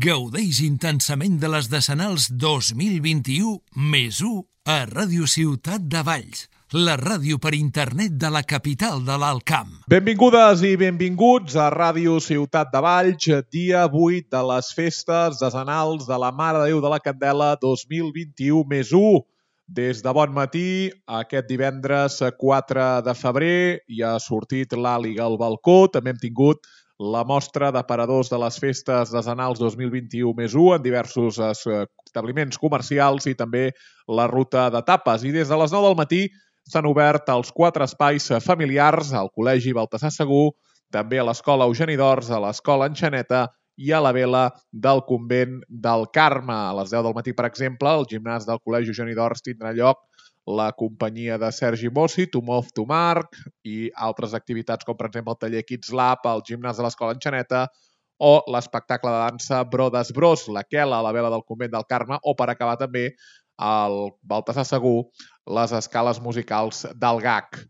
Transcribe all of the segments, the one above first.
Gaudeix intensament de les Decenals 2021 més 1 a Ràdio Ciutat de Valls, la ràdio per internet de la capital de l'Alt Camp. Benvingudes i benvinguts a Ràdio Ciutat de Valls, dia 8 de les festes decenals de la Mare de Déu de la Candela 2021 més 1. Des de bon matí, aquest divendres 4 de febrer, ja ha sortit l'àliga al balcó. També hem tingut la mostra d'aparadors de les festes decenals 2021 més 1 en diversos establiments comercials i també la ruta de tapes. I des de les 9 del matí s'han obert els 4 espais familiars al Col·legi Baltasar Segur, també a l'Escola Eugeni d'Ors, a l'Escola Enxaneta i a la Vela del Convent del Carme. A les 10 del matí, per exemple, al gimnàs del Col·legi Eugeni d'Ors tindrà lloc la companyia de Sergi Mossi, To Move to Mark, i altres activitats com, per exemple, el taller Kids Lab, al gimnàs de l'Escola Enxaneta, o l'espectacle de dansa Brodes Bros, la Quela, a la Vela del Convent del Carme, o, per acabar també, al Baltasar Segur, les escales musicals del GAC.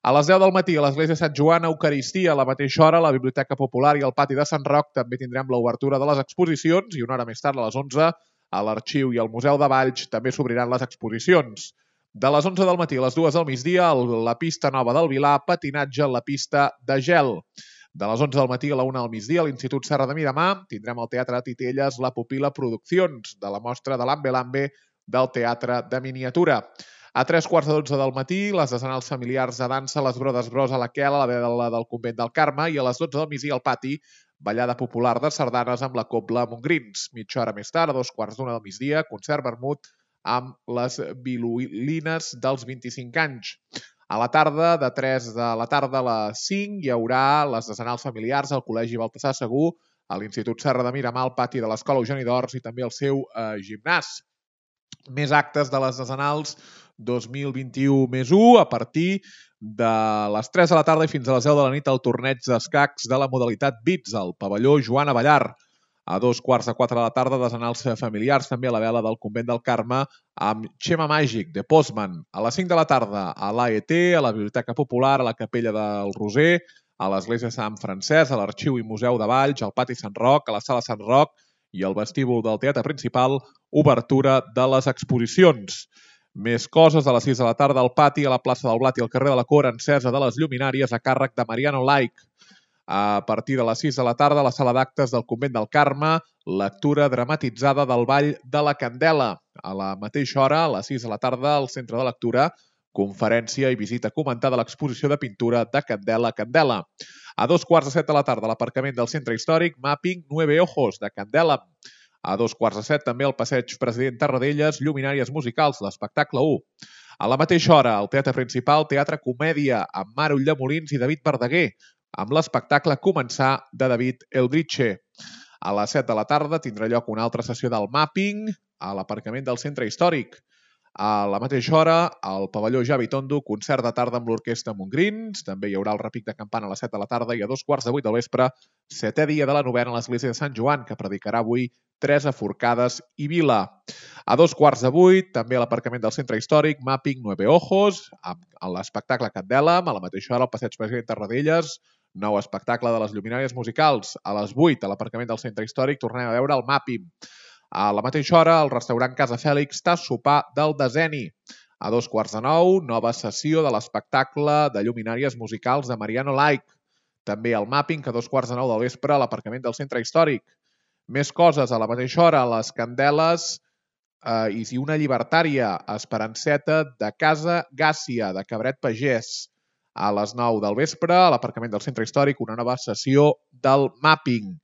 A les 10 del matí, a l'Església Sant Joan, Eucaristia, a la mateixa hora, a la Biblioteca Popular i al Pati de Sant Roc també tindrem l'obertura de les exposicions i una hora més tard, a les 11, a l'Arxiu i al Museu de Valls també s'obriran les exposicions. De les 11 del matí a les 2 del migdia, a la pista nova del Vilar, patinatge en la pista de gel. De les 11 del matí a la 1 del migdia, a l'Institut Serra de Miramar, tindrem al Teatre Titelles La Pupila Produccions, de la mostra de l'Ambe Lambe del Teatre de Miniatura. A 3:15 del matí, les decenals familiars de dansa, les Brodes Bros a la Quela, a la Vela del Convent del Carme, i a les 12 del migdia al pati, ballada popular de sardanes amb la Cobla Montgrins. Mitja hora més tard, a 2:15 del migdia, concert vermut amb les violines dels 25 anys. A la tarda, de 3 de la tarda a les 5, hi haurà les decenals familiars al Col·legi Baltasar Segur, a l'Institut Serra de Miramar, al pati de l'Escola Eugeni d'Ors i també al seu gimnàs. Més actes de les decenals 2021 més 1, a partir de les 3 de la tarda i fins a les 10 de la nit, el torneig d'escacs de la modalitat BITS, al pavelló Joan Avellar. A 3:45 de la tarda, decenals familiars, també a la Vela del Convent del Carme, amb Xema Màgic, de Postman. A les 5 de la tarda, a l'AET, a la Biblioteca Popular, a la Capella del Roser, a l'Església Sant Francesc, a l'Arxiu i Museu de Valls, al Pati Sant Roc, a la Sala Sant Roc i al vestíbul del Teatre Principal, obertura de les exposicions. Més coses, a les 6 de la tarda, al pati, a la plaça del Blat i al carrer de la Cor, encesa de les lluminàries a càrrec de Mariano Laich. A partir de les 6 de la tarda, a la sala d'actes del Convent del Carme, lectura dramatitzada del Ball de la Candela. A la mateixa hora, a les 6 de la tarda, al centre de lectura, conferència i visita comentada a l'exposició de pintura de Candela Candela. A 2:15 de la tarda, a l'aparcament del centre històric, Mapping 9 Ojos, de Candela. A 2:15 també al passeig President Tarradellas, lluminàries musicals, l'espectacle 1. A la mateixa hora, al Teatre Principal, Teatre Comèdia, amb Mare Ulldemolins i David Verdaguer, amb l'espectacle Començar, de David Eldritche. A les 7 de la tarda tindrà lloc una altra sessió del Mapping a l'aparcament del centre històric. A la mateixa hora, al pavelló Javi Tondo, concert de tarda amb l'orquestra Montgrins. També hi haurà el repic de campana a les 7 de la tarda i a 2:15 del vespre, 7è dia de la novena a l'Església de Sant Joan, que predicarà avui Teresa Forcades i Vila. A 7:15, també a l'aparcament del centre històric, Mapping 9 Ojos, amb l'espectacle Candela, a la mateixa hora al passeig President Tarradellas, nou espectacle de les lluminàries musicals. A les 8, a l'aparcament del centre històric, tornem a veure el Mapping. A la mateixa hora, al restaurant Casa Fèlix, tas sopar del Deseni. A 9:15, nova sessió de l'espectacle de lluminàries musicals de Mariano Laich. També el Mapping, a 2:15 del vespre, a l'aparcament del centre històric. Més coses, a la mateixa hora, les Candeles i una llibertària, Esperanceta, de Casa Gàcia, de Cabret Pagès. A les 9 del vespre, a l'aparcament del centre històric, una nova sessió del Mapping.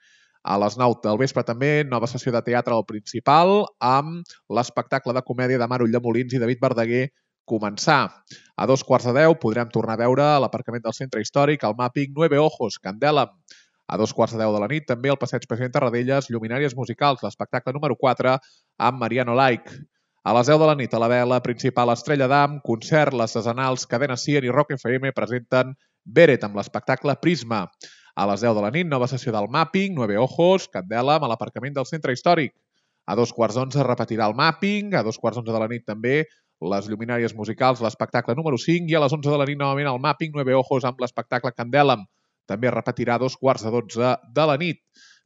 A les 9 del vespre també, nova sessió de teatre al Principal amb l'espectacle de comèdia de Mare Ulldemolins i David Verdaguer, Començar. A 2:15 podrem tornar a veure a l'aparcament del centre històric el Mapping 9 Ojos, Candela. A 2:15 de la nit també al passeig President Tarradellas, lluminàries musicals, l'espectacle número 4 amb Mariano Laich. A les 10 de la nit, a la Vela Principal Estrella d'Am, concert, les decenals Cadena 100 i Rock FM presenten Beret amb l'espectacle Prisma. A les 10 de la nit, nova sessió del Mapping, 9 Ojos, Candela, amb l'aparcament del centre històric. A 2:15 repetirà el Mapping, a 2:15 de la nit també les lluminàries musicals, l'espectacle número 5, i a les 11 de la nit novament el Mapping 9 Ojos amb l'espectacle Candela. També repetirà a 2:15 de la nit.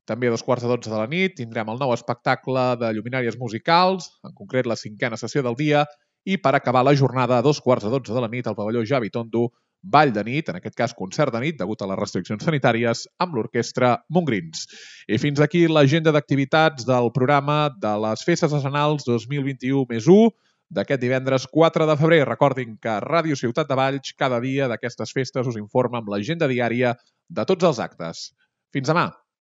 També a 2:15 de la nit tindrem el nou espectacle de lluminàries musicals, en concret la 5a sessió del dia, i per acabar la jornada a 2:15 de la nit al pavelló Javi Tondo, ball de nit, en aquest cas concert de nit, degut a les restriccions sanitàries, amb l'orquestra Montgrins. I fins aquí l'agenda d'activitats del programa de les Festes Arsenals 2021+1 d'aquest divendres 4 de febrer. Recordin que Ràdio Ciutat de Valls cada dia d'aquestes festes us informa amb l'agenda diària de tots els actes. Fins demà!